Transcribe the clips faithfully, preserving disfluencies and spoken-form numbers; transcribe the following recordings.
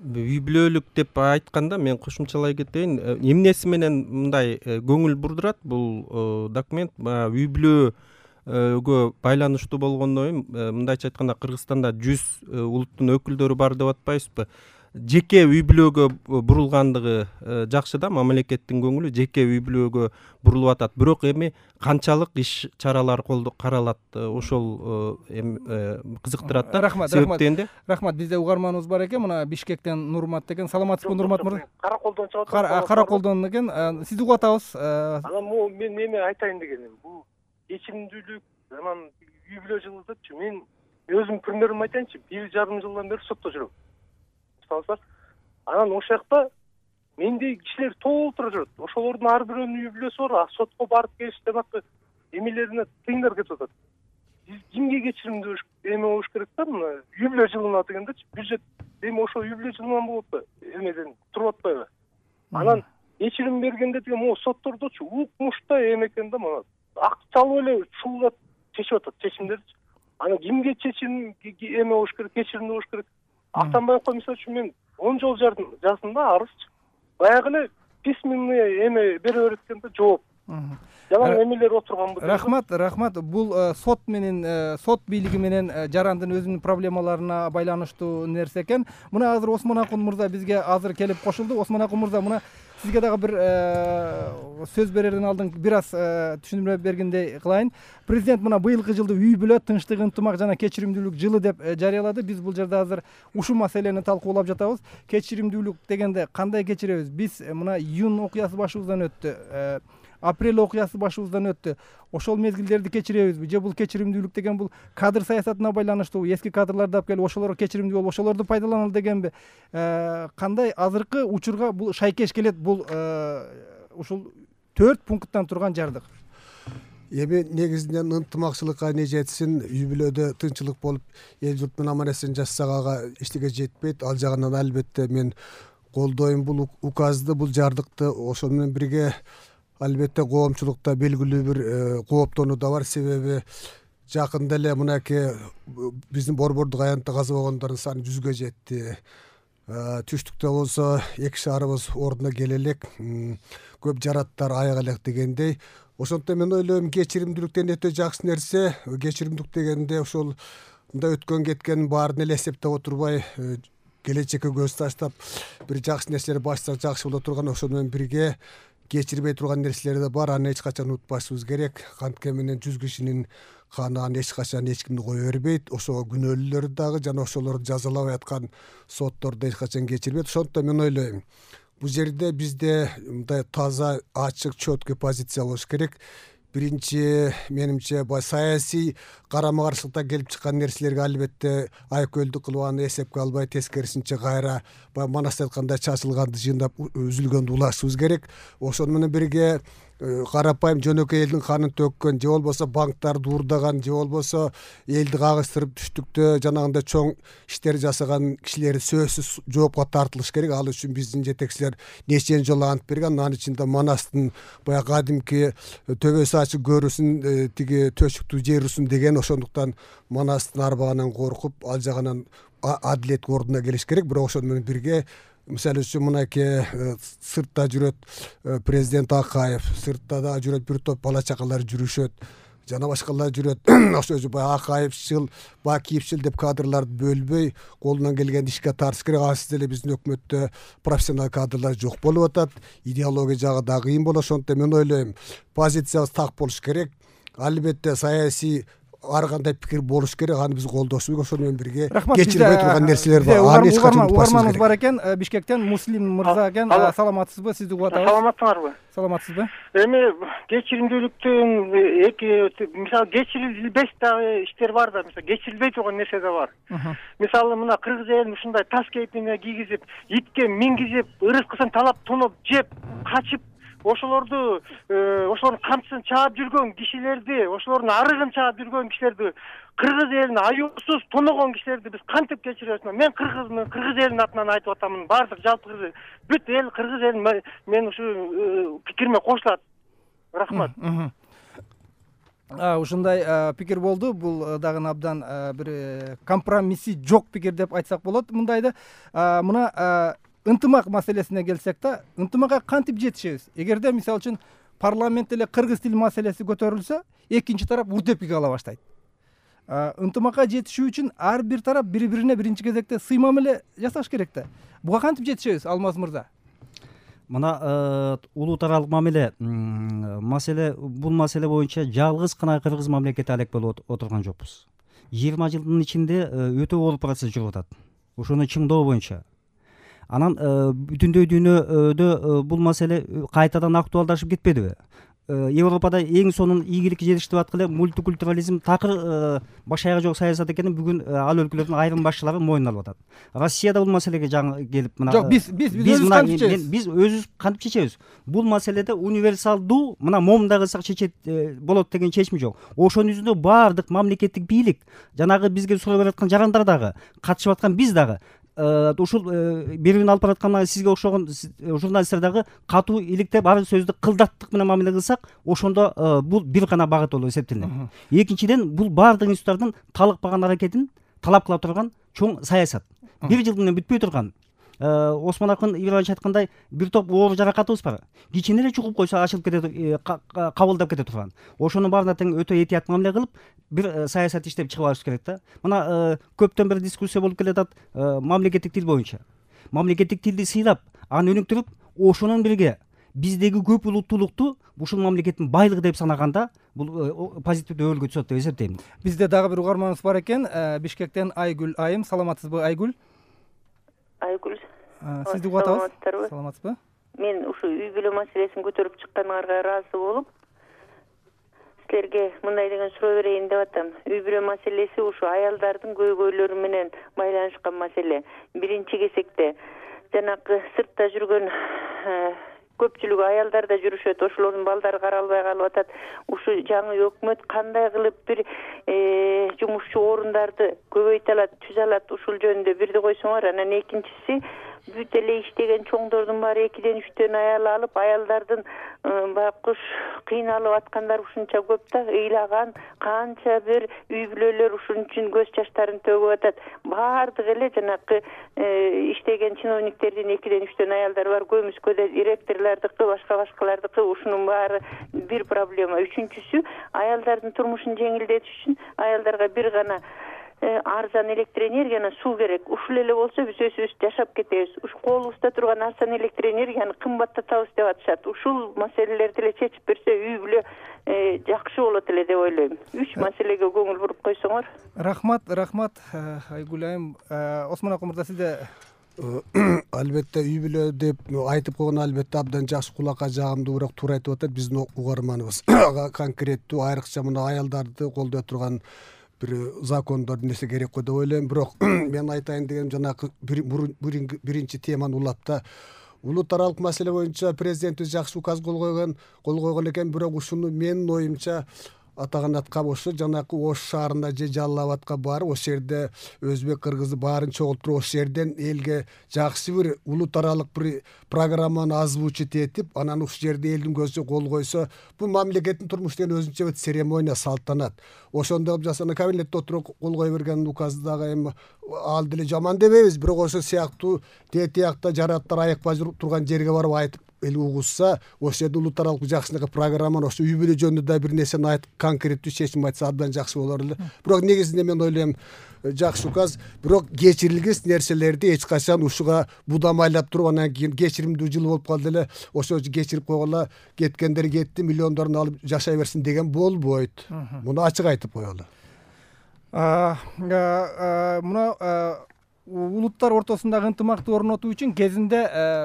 үй бүлөлүк деп айтканда мен кошумчалай кетейин. Эмнеси менен мындай көңүл бурдурат бул документ? Үй бүлөгө байланыштуу болгондон кийин мындайча айтканда Кыргызстанда жүз улуттун өкүлдөрү бар деп атпайбызбы? Жеке үй бүлөгө бурулгандыгы жакшы да, мамлекеттин көңүлү жеке үй бүлөгө бурулуп атат. Бирок эми канчалык иш чаралар каралат, ошол эми кызыктырат да. Рахмат, рахмат. Рахмат. Бизде угарманыбыз бар экен. Мына Бишкектен Нурмат деген. Саламатсызбы, Нурмат мырза? Караколдон чыгып атат. Караколдон экен. Сизди угуп атабыз. Анан мен эме айтайын дегеним, бул кечиримдүүлүк, анан үй бүлө жылы депчи, мен өзүм примерим айтайынчы, бир жарым жылдан бери сотто жүрөм. Анан ошол жакта мендей кишилер толтура жүрөт. Ошолордун ар бирөөнүн үй бүлөсү бар, сотко барып келиш жанакы эмелерине тыйындар кетип атат. Биз кимге кечиримдүү эме болуш керек да, мына үй бүлө жылына дегендечи, бюджет эми ошо үй бүлө жылынан болот да, эмеден туруп атпайбы? Анан кечирим бергенде деген могу соттордочу укмуштай эме экен да, мына акчалуу эле чуулап чечип атат чечимдерди. Анан кимге чечим эме болуш керек, кечиримдүү болуш керек? Атамбаевко мисалы үчүн мен он жол жаздым да, арызчы. Баягы эле письменный эме бере берет экен да, жооп. Жалаң эмелер отурган бул. Рахмат, рахмат. Бул сот менен, сот бийлиги менен жарандын өзүнүн проблемаларына байланыштуу нерсе экен. Мына азыр Осмон Акун мырза бизге азыр келип кошулду. Осмон Акун мырза, мына сизге дагы бир сөз берерден алдын бир аз түшүндүрмө бергендей кылайын. Президент мына быйылкы жылды үй бүлө, тынчтык, ынтымак жана кечиримдүүлүк жылы деп жарыялады. Биз бул жерде азыр ушул маселени талкуулап жатабыз. Кечиримдүүлүк дегенде кандай кечиребиз? Биз мына июнь окуясы башыбыздан өттү. Апрель окуясы башыбыздан өттү. Ошол мезгилдерди кечиребизби? Же бул кечиримдүүлүк деген бул кадр саясатына байланыштуу, эски кадрларды алып келип ошолор кечиримдүү болуп, ошолорду пайдаланалы дегенби? Кандай азыркы учурга бул шайкеш келет, бул ушул төрт пункттан турган жардык? Эми негизинен ынтымакчылыкка не жетсин, үй бүлөдө тынччылык болуп, эл журт менен аман эсен жашасага эчтеке жетпейт. Ал жагынан албетте мен колдойм бул указды, бул жардыкты. Ошол менен бирге албетте коомчулукта белгилүү бир кооптонуу да бар. Себеби жакында эле мынакей биздин борбордук аянтта каза болгондордун саны жүзгө жетти. Түштүктө болсо эки шаарыбыз ордуна келе элек, көп жараттар аяк элек дегендей. Ошондуктан мен ойлойм, кечиримдүүлүктөн өтө жакшы нерсе. Кечиримдүүлүк дегенде ошол мындай өткөн кеткенин баарын эле эсептеп отурбай, келечекке көз таштап бир жакшы нерселер баштасак жакшы боло турган. Ошол менен бирге кечирбей турган нерселер да бар. Аны эч качан унутпашыбыз керек. Кантке менен жүз кишинин каны аны эч качан эч кимди кое бербейт. Ошого күнөөлүүлөр дагы жана ошолорду жазалабай аткан соттор да эч качан кечирбейт. Ошондуктан мен ойлойм, бул жерде бизде мындай таза, ачык, чөткө позиция болуш керек. Биринчи, менимче, бай саясий карама каршылыкта келип чыккан нерселерге албетте айкөлдүк кылып аны эсепке албай, тескерисинче кайра баягы Манас айткандай чачылганды жыйындап үзүлгөндү улашыбыз керек. Ошону менен бирге карапайым жөнөкөй элдин канын төккөн, же болбосо банктарды уурдаган, же болбосо элди кагыштырып түштүктө жанагындай чоң иштер жасаган кишилер сөзсүз жоопко тартылыш керек. Ал үчүн биздин жетекчилер нечен жолу ант берген. Анын ичинде Манастын баягы кадимки төбөсү ачык көрүсүн, тиги төшүктүү жерүсүн деген. Ошондуктан Манастын арбагынан коркуп, ал жагынан адилет ордуна келиш керек. Бирок ошону менен бирге, мисалы үчүн мынакей сыртта жүрөт президент Акаев, сыртта да жүрөт бир топ бала чакалар жүрүшөт, жана башкалар жүрөт. Ошо баягы Акаевчил, Бакиевчил деп кадрларды бөлбөй, колунан келген ишке тартыш керек. Азыр деле биздин өкмөттө профессионал кадрлар жок болуп атат. Идеология жагы да кыйын болот. Ошондуктан мен ойлойм, позициябыз так болуш керек. Албетте саясий ар кандай пикир болуш керек. Аны биз колдошубуз керек. Ошону менен бирге кечирбей турган нерселер бар. Аны эч качан унутпашыбыз керек. Угарманыбыз бар экен, Бишкектен Муслим мырза экен. Саламатсызбы? Сизди угуп атабыз. Саламатсыңарбы? Саламатсызбы? Эми кечиримдүүлүктүн эки, мисалы кечирилбес дагы иштер бар да, мисалы кечирилбей турган нерсе да бар. Мисалы мына кыргыз элин ушундай тас кейпине кийгизип, итке мингизип, ырыскысын талап тунуп жеп, качып, ошолорду ошолордун камчысын чаап жүргөн кишилерди, ошолордун арыгын чаап жүргөн кишилерди, кыргыз элин аюусуз тоногон кишилерди биз кантип кечиребиз? Мен кыргызмын, кыргыз элинин атынан айтып атамын. Бардык жалпы кыргыз бүт эл кыргыз элин мен ушу пикириме кошулат. Рахмат. ушундай пикир болду. Бул дагы абдан бир компромисси жок пикир деп айтсак болот. Мындайды мына ынтымак маселесине келсек да, ынтымакка кантип жетишебиз? Эгерде мисалы үчүн парламент эле кыргыз тил маселеси көтөрүлсө, экинчи тарап урдепик ала баштайт. Ынтымакка жетишүү үчүн ар бир тарап бири-бирине биринчи кезекте сыймам эле жасаш керек да. Буга кантип жетишебиз, Алмаз мырза? Мына улут аралык мамиле маселе бул маселе боюнча жалгыз гана кыргыз мамлекети алек болуп отурган жокпуз. жыйырма жылдын ичинде өтө оор процесс жүрүп атат. Ошону чыңдоо боюнча. Анан бүтүндөй дүйнөдө бул маселе кайтадан актуалдашып кетпедиби? Европада эң сонун ийгиликке жетиштип аткыле мультикультурализм такыр баш аягы жок саясат экенин бүгүн ал өлкөлөрдүн айрым башчылары моюнуна алып атат. Россияда бул маселеге жаңы келип мына жок, биз биз биз өзүбүз кантип чечебиз? Биз өзүбүз кантип чечебиз? Бул маселеде универсалдуу мына момундай кылсак чечет болот деген чечим жок. Ошонун жүзүндө баардык мамлекеттик бийлик, жанагы бизге суроо берип аткан жарандар дагы, катышып аткан биз дагы ушул берүүнү алып бараткан сизге окшогон журналисттер дагы катуу иликтеп ар сөздү кылдаттык менен мамиле кылсак, ошондо бул бир гана багыт болуп эсептелинет. Экинчиден, бул баардык институттардын талыкпаган аракетин талап кыла турган чоң саясат. Бир жыл менен бүтпөй турган. Осмон акын Ибраевич айткандай, бир топ оор жаракатыбыз бар. Кичине эле чугуп койсо ачылып кетет, кабылдап кете турган. Ошонун баарына тең өтө этият мамиле кылып, бир саясат иштеп чыгып алыш керек да. Мына көптөн бери дискуссия болуп келатат мамлекеттик тил боюнча. Мамлекеттик тилди сыйлап, аны өнүктүрүп, ошонун бирге биздеги көп улуттуулукту ушул мамлекеттин байлыгы деп санаганда, бул позитивдүү өбөлгө түшөт деп эсептейм. Бизде дагы бир угарманыбыз бар экен. Бишкектен Айгүл айым, саламатсызбы Айгүл? Айгүл. Сизди угуп атабыз. Саламатсызбы? Мен ушу үй бүлө маселесин көтөрүп чыкканыңарга ыраазы болуп, силерге мындай деген суроо берейин деп атам. Үй бүлө маселеси ушу аялдардын көйгөйлөрү менен байланышкан маселе. Биринчи кезекте жанагы сыртта жүргөн көпчүлүгү аялдарда жүрүшөт, ошолордун балдары каралбай калып атат. Ушу жаңы өкмөт кандай кылып бир жумушчу орундарды көбөйтө алат, түзө алат, ушул жөнүндө бирди койсоңор. Анан экинчиси, бүт эле иштеген чоңдордун баары экиден үчтөн аял алып, аялдардын байкуш кыйналып аткандар ушунча көп да, ыйлаган канча бир үй бүлөлөр ушун үчүн көз жаштарын төгүп атат. Баардык эле жанакы иштеген чиновниктердин экиден үчтөн аялдары бар, көмүскөдө директорлордуку, башка башкалардыкы, ушунун баары бир проблема. Үчүнчүсү, аялдардын турмушун жеңилдетиш үчүн аялдарга бир гана арзан электр энергияны, суу керек. Ушул эле болсо биз өзүбүз жашап кетебиз. Ушу колубузда турган арзан электр энергияны кымбаттатабыз деп атышат. Ушул маселелерди эле чечип берсе, үй бүлө жакшы болот эле деп ойлойм. Үч маселеге көңүл буруп койсоңор. Рахмат, рахмат Айгүл айым. Осмон акын мырза, сизде? Албетте үй бүлө деп айтып койгон албетте абдан жакшы, кулакка жагымдуу, бирок туура айтып атат. Биздин угарманыбыз конкреттүү, айрыкча мына аялдарды колдой турган бир закондор нерсе керек го деп ойлойм. Бирок мен айтайын дегеним, жанагы биринчи теманы улапта улут аралык маселе боюнча президентибиз жакшы указ кол койгон, кол койгон экен. Бирок ушуну менин оюмча атаганатка ошо жанакы Ош шаарында же Жалал абадка барып, ошол жерде өзбек, кыргызды баарын чогултуруп, ошол жерден элге жакшы бир улут аралык бир программаны озвучить этип, анан ушул жерде элдин көзү кол койсо, бул мамлекеттин турмуш деген өзүнчө бир церемония, салтанат. Ошондой кылып жасана кабинетте отуруп кол кое берген указды дагы эми ал деле жаман дебейбиз, бирок ошол сыяктуу тетиякта жараттар аякпай турган жерге барып айтып эл угушса, ошол жерде улут аралык жакшынакы программаны, ошо үй бүлө жөнүндө да бир нерсени айтып, конкреттүү чечим айтса абдан жакшы болор эле. Бирок негизинде мен ойлойм, жакшы указ, бирок кечирилгис нерселерди эч качан ушуга будамайлап туруп, анан кийин кечиримдүү жыл болуп калды эле, ошо кечирип койгола, кеткендер кетти, миллиондорун алып жашай берсин деген болбойт. Муну ачык айтып коелу. Мына улуттар ортосундагы ынтымакты орнотуу үчүн кезинде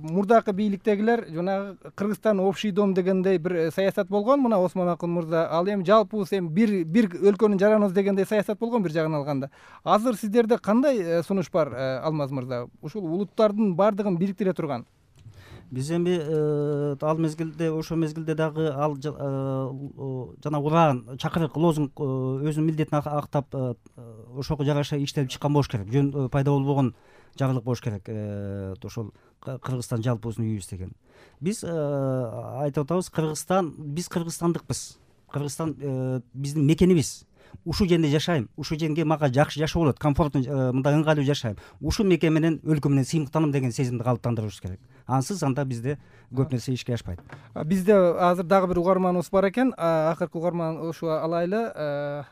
мурдакы бийликтегилер жанагы Кыргызстан общий дом дегендей бир саясат болгон. Мына Осмон акын мырза, ал эми жалпыбыз эми бир бир өлкөнүн жараныбыз дегендей саясат болгон бир жагын алганда. Азыр сиздерде кандай сунуш бар, Алмаз мырза? Ушул улуттардын баардыгын бириктире турган. Биз эми ал мезгилде, ошол мезгилде дагы ал жана уран, чакырык, лозунг өзүнүн милдетин актап, ошого жараша иштелип чыккан болуш керек. Жөн пайда болбогон жарлык болуш керек. Ошол Кыргызстан жалпыбыздын үйүбүз деген. Биз айтып атабыз, Кыргызстан, биз кыргызстандыкпыз. Кыргызстан биздин мекенибиз. Ушул жерде жашайм, ушул жерге мага жакшы жашоо болот, комфортно мындай ыңгайлуу жашайм. Ушул мекен менен өлкө менен сыймыктанам деген сезимди калыптандырышыбыз керек. Ансыз анда бизде көп нерсе ишке ашпайт. Бизде азыр дагы бир угарманыбыз бар экен. Акыркы угарман ушу алайлы.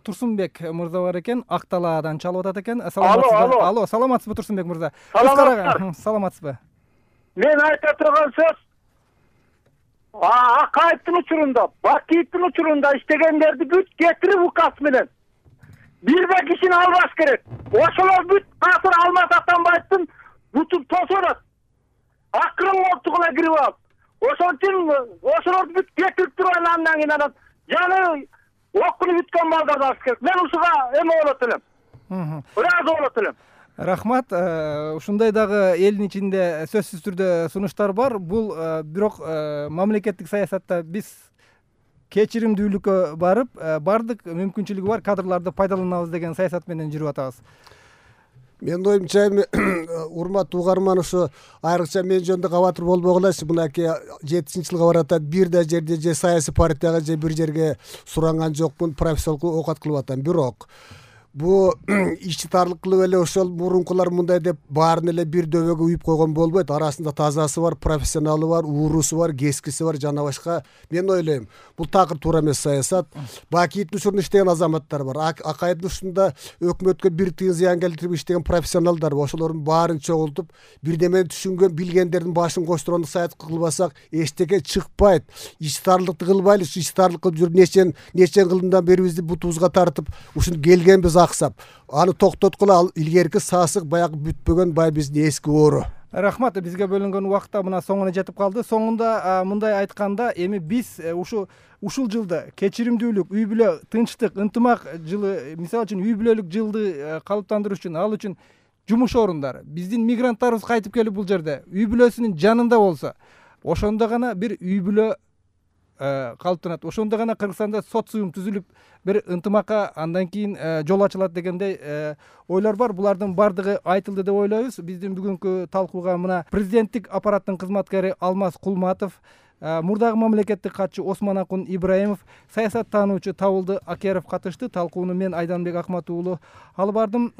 Турсунбек мырза бар экен, Ак Талаадан чалып атат экен. Саламатсызбы? Алло, саламатсызбы Турсунбек мырза? Саламатсызбы? Мен айта турган сөз Акаевдин учурунда, Бакиевдин учурунда иштегендерди бүт кетирип указ менен бирбе кишини албаш керек. Ошолор бүт азыр Алмаз Атамбаевдин бутун тосонот. Акырын колтугуна кирип алып, ошон үчүн ошолорду бүт кетирип турган андан кийин анан жаны окуну бүткөн балдарды алыш керек. Мен ушуга эме болот элем. Ыраазы болот элем. Рахмат. Ушундай дагы элдин ичинде сөзсүз түрдө сунуштар бар. Бул бирок мамлекеттик саясатта биз кечиримдүүлүккө барып, бардык мүмкүнчүлүгү бар кадрларды пайдаланабыз деген саясат менен жүрүп атабыз. Менин оюмча урматтуу угарман ушу айрыкча мен жөнүндө кабатыр болбогула. Мынакей жетинчи жылга баратат. Бир да жерде же саясий партияга же бир жерге суранган жокмун, профессионалдык оокат кылып атам. Бирок бу ичи тарлык кылып эле ошол мурункулар мындай деп баарын эле бир дөбөгө үйүп койгон болбойт. Арасында тазасы бар, профессионалы бар, уурусу бар, кескиси бар, жана башка. Мен ойлойм, бул такыр туура эмес саясат. Бакиевдин учурунда иштеген азаматтар бар. Акаевдин учурунда өкмөткө бир тыйын зыян келтирип иштеген профессионалдар бар. Ошолордун баарын чогултуп, бирдемени түшүнгөн, билгендердин башын коштургондо саясат кылбасак, эчтеке чыкпайт. Ичи тарлыкты кылбайлы, ичи тарлыкка жүрүп нечен нечен кылымдан бери бизди бутубузга тартып, ушуну келгенбиз аксап, аны токтоткула. Ал илгерки сасык баягы бүтпөгөн бай биздин эски оору. Рахмат. Бизге бөлүнгөн убакыт да мына соңуна жетип калды. Соңунда мындай айтканда, эми биз ушу ушул жылды кечиримдүүлүк, үй бүлө, тынчтык, ынтымак жылы, мисалы үчүн үй бүлөлүк жылды калыптандыруу үчүн, ал үчүн жумуш орундары, биздин мигранттарыбыз кайтып келип бул жерде үй бүлөсүнүн жанында болсо, ошондо гана бир үй бүлө калыптанат. Ошондо гана Кыргызстанда социум түзүлүп, бир ынтымакка андан кийин жол ачылат дегендей ойлор бар. Булардын бардыгы айтылды деп ойлойбуз. Биздин бүгүнкү талкууга мына президенттик аппараттын кызматкери Алмаз Кулматов, мурдагы мамлекеттик катчы Осмонакун Ибраимов, саясаттануучу Табылды Акеров катышты. Талкууну мен Айданбек Акмат уулу алып бардым.